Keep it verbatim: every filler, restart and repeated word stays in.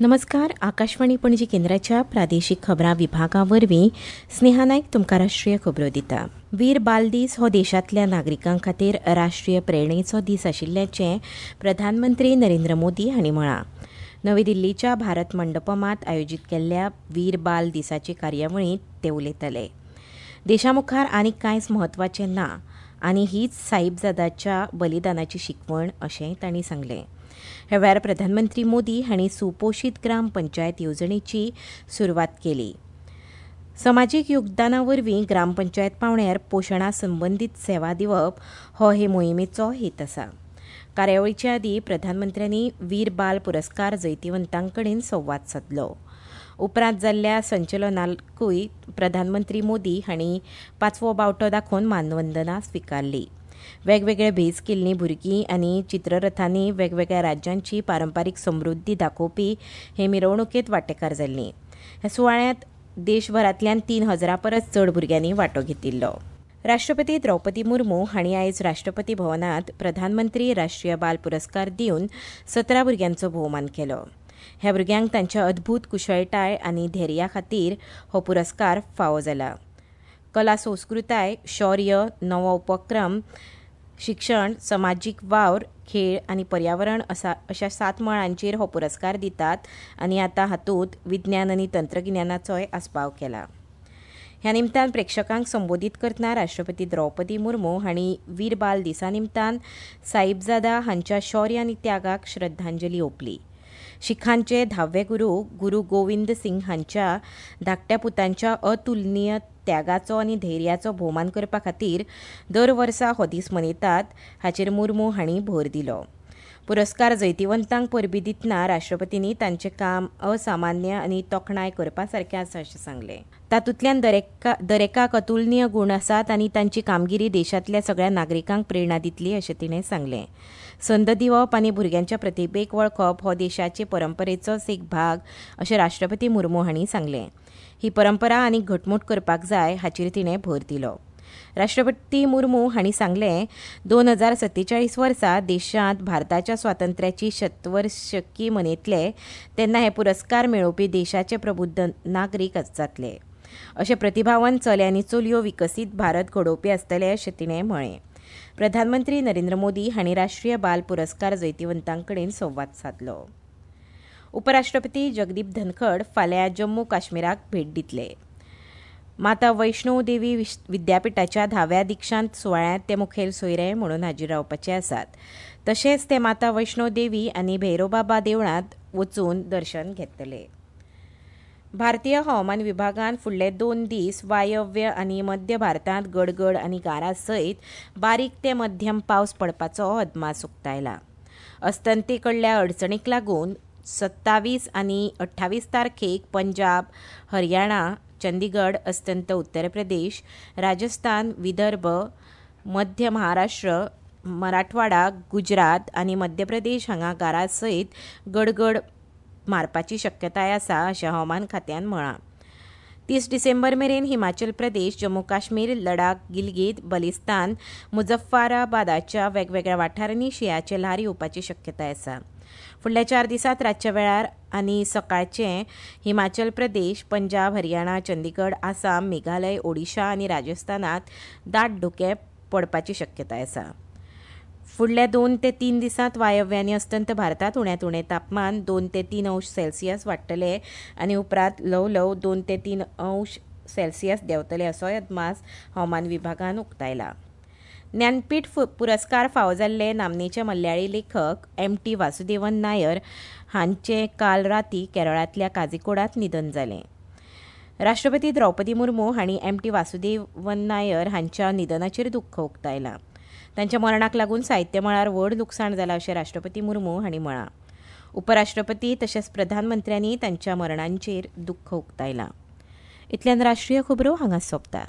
नमस्कार. आकाशवाणी पणजी केंद्राच्या प्रादेशीक खबरां विभागा वरवीं स्नेहा नायक तुमकां राष्ट्रीय खबरो दिता. वीर बाल दीस हो देशांतल्या नागरिकां खातीर राष्ट्रीय प्रेरणेचो दीस आशिल्ल्याचें प्रधानमंत्री नरेंद्र मोदी हांणी म्हळां. नवी दिल्लीच्या भारत मंडपमांत आयोजीत केल्ल्या वीर बाल दिसाचे कार्यावळींत ते उलयताले. देशा मुखार आनीक कांयच म्हत्वाचें ना आनी हीच साहिबजादाच्या बलिदानाची शिकवण अशेंय तांणी सांगलें. ह्या वेळार प्रधानमंत्री मोदी हांणी सुपोशीत ग्राम पंचायत येवजणेची सुरवात केली. समाजीक योगदाना वरवीं ग्रामपंचायत पांवड्यार पोशणा संबंदीत सेवा दिवप हो हे मोहिमेचो हेत आसा. कार्यावळीचे आदीं प्रधानमंत्र्यांनी वीर बाल पुरस्कार जैतिवंतां कडेन संवाद सादलो. उपरांत जाल्ल्या संचलनाकूय प्रधानमंत्री मोदी हांणी पांचवो बावटो दाखोवन मानवंदना स्विकारली. वेगवेगळे भेस केल्लीं भुरगीं आनी चित्ररथांनी वेगवेगळ्या राज्यांची पारंपारीक समृद्धी दाखोवपी हे मिरवणुकेंत वांटेकार जाल्लीं. ह्या सुवाळ्यांत देशभरांतल्यान तीन हजारां परस चड भुरग्यांनी वांटो घेतिल्लो. राष्ट्रपती द्रौपदी मुर्मू हांणी आयज राष्ट्रपती भवनांत प्रधानमंत्री राष्ट्रीय बाल पुरस्कार दिवन सतरा भुरग्यांचो भोवमान केलो. ह्या भुरग्यांक तांच्या अद्भूत कुशळटाय आनी धैर्या खातीर हो पुरस्कार फावो जाला. कला संस्कृताय, शौर्य, नवो उपक्रम, शिक्षण, समाजीक वावर, खेळ आनी पर्यावरण असा अशा सात मळांचेर हो पुरस्कार दितात आनी आतां हातूंत विज्ञान आनी तंत्रगिन्यानाचोय आस्पाव केला. ह्या निमतान प्रेक्षकांक संबोधीत करतना राष्ट्रपती द्रौपदी मुर्मू हांणी वीर बाल दिसा निमतान साहिबजादा हांच्या शौर्य आनी त्यागाक श्रद्धांजली ओंपली. शिखांचे धावे गुरू गुरू गोविंद सिंग हांच्या धाकट्या पुतांच्या अतुलनीय त्यागाचो आनी धैर्याचो भोवमान करपा खातीर दर वर्सा हो दीस मनयतात हाचेर मुर्मू हांणी भर दिलो. पुरस्कार जैतिवंतांक परबीं दितना राष्ट्रपतींनी तांचें काम असामान्य आनी तोखणाय करपा सारकें आसा अशें सांगलें. तातूंतल्यान दरेका दरेकाक अतुलनीय गूण आसात आनी तांची कामगिरी देशांतल्या सगळ्या नागरिकांक प्रेरणा दितली अशें तिणें सांगलें. संद दिवप आनी भुरग्यांच्या प्रतिभेक वळखप हो देशाचे परंपरेचोच एक भाग अशें राष्ट्रपती मुर्मू हांणी सांगलें. ही परंपरा आनी घटमूट करपाक जाय हाचेर तिणें भर दिलो. राष्ट्रपती मुर्मू हांणी सांगलें, दोन हजार सत्तेचाळीस वर्सा देशांत भारताच्या स्वातंत्र्याची शतवर्षकी मनयतले तेन्ना हे पुरस्कार मेळोवपी देशाचे प्रबुद्ध नागरीक जातले. अशे प्रतिभावन चले आनी चलयो विकसीत भारत घडोवपी आसतले अशें तिणें म्हळें. प्रधानमंत्री नरेंद्र मोदी हांणी राष्ट्रीय बाल पुरस्कार जैतिवंतां कडेन संवाद सादलो. उपराष्ट्रपती जगदीप धनखड फाल्यां जम्मू काश्मीराक भेट दितले. माता वैष्णो देवी विद्यापिठाच्या धाव्या दीक्षांत सुवाळ्यांत ते मुखेल सोयरे म्हणून हाजीर रावपाचे आसात. तशेंच ते माता वैष्णो देवी आनी भैरोबाबा देवळांत वचून दर्शन घेतले. भारतीय हवामान विभागान फुडले दोन दीस वायव्य आनी मध्य भारतांत गडगड आनी गारा सयत बारीक ते मध्यम पावस पडपाचो अदमास उक्तायला. अस्तंते कडल्या अडचणीक लागून सत्तावीस आनी अठ्ठावीस तारखेक पंजाब, हरियाणा, चंदीगड, अस्तंत उत्तर प्रदेश, राजस्थान, विदर्भ, मध्य महाराष्ट्र, मराठवाडा, गुजरात आनी मध्य प्रदेश हांगा गारा सयत गडगड मारपाची शक्यताय आसा अशें हवामान खात्यान म्हळां. तीस डिसेंबर मेरेन हिमाचल प्रदेश, जम्मू काश्मीर, लडाख, गिलगीत, बलिस्तान, मुजफ्फराबादाच्या वेगवेगळ्या वाठारांनी शिंयाचें ल्हार येवपाची शक्यताय आसा. फुडल्या चार दिसांत रातच्या वेळार आनी सकाळचें हिमाचल प्रदेश, पंजाब, हरियाणा, चंदीगड, आसाम, मेघालय, ओडिशा आनी राजस्थानांत दाट धुकें पडपाची शक्यताय आसा. फुडल्या दोन ते तीन दिसांत वायव्य आनी अस्तंत भारतांत उण्यांत उणें तापमान दोन ते तीन अंश सेल्सियस वाडटलें आनी उपरांत ल्हव ल्हव दोन ते तीन अंश सेल्सियस देंवतले असोय अदमास हवामान विभागान उक्तायला. ज्ञानपीठ पुरस्कार फावो जाल्ले नामनेचे मल्याळी लेखक एम टी वासुदेवन नायर हांचें काल राती केरळांतल्या काझीकोडांत निधन जालें. राष्ट्रपती द्रौपदी मुर्मू हांणी एम टी वासुदेवन नायर हांच्या निधनाचेर दुख्ख उक्तायलां. तांच्या मरणाक लागून साहित्य मळार व्हड लुकसाण जालां अशें राष्ट्रपती मुर्मू हांणी म्हळां. उपराष्ट्रपती तशेंच प्रधानमंत्र्यांनी तांच्या मरणांचेर दुख्ख उक्तायलां. इतल्यान राष्ट्रीय खबरो हांगा सोंपता.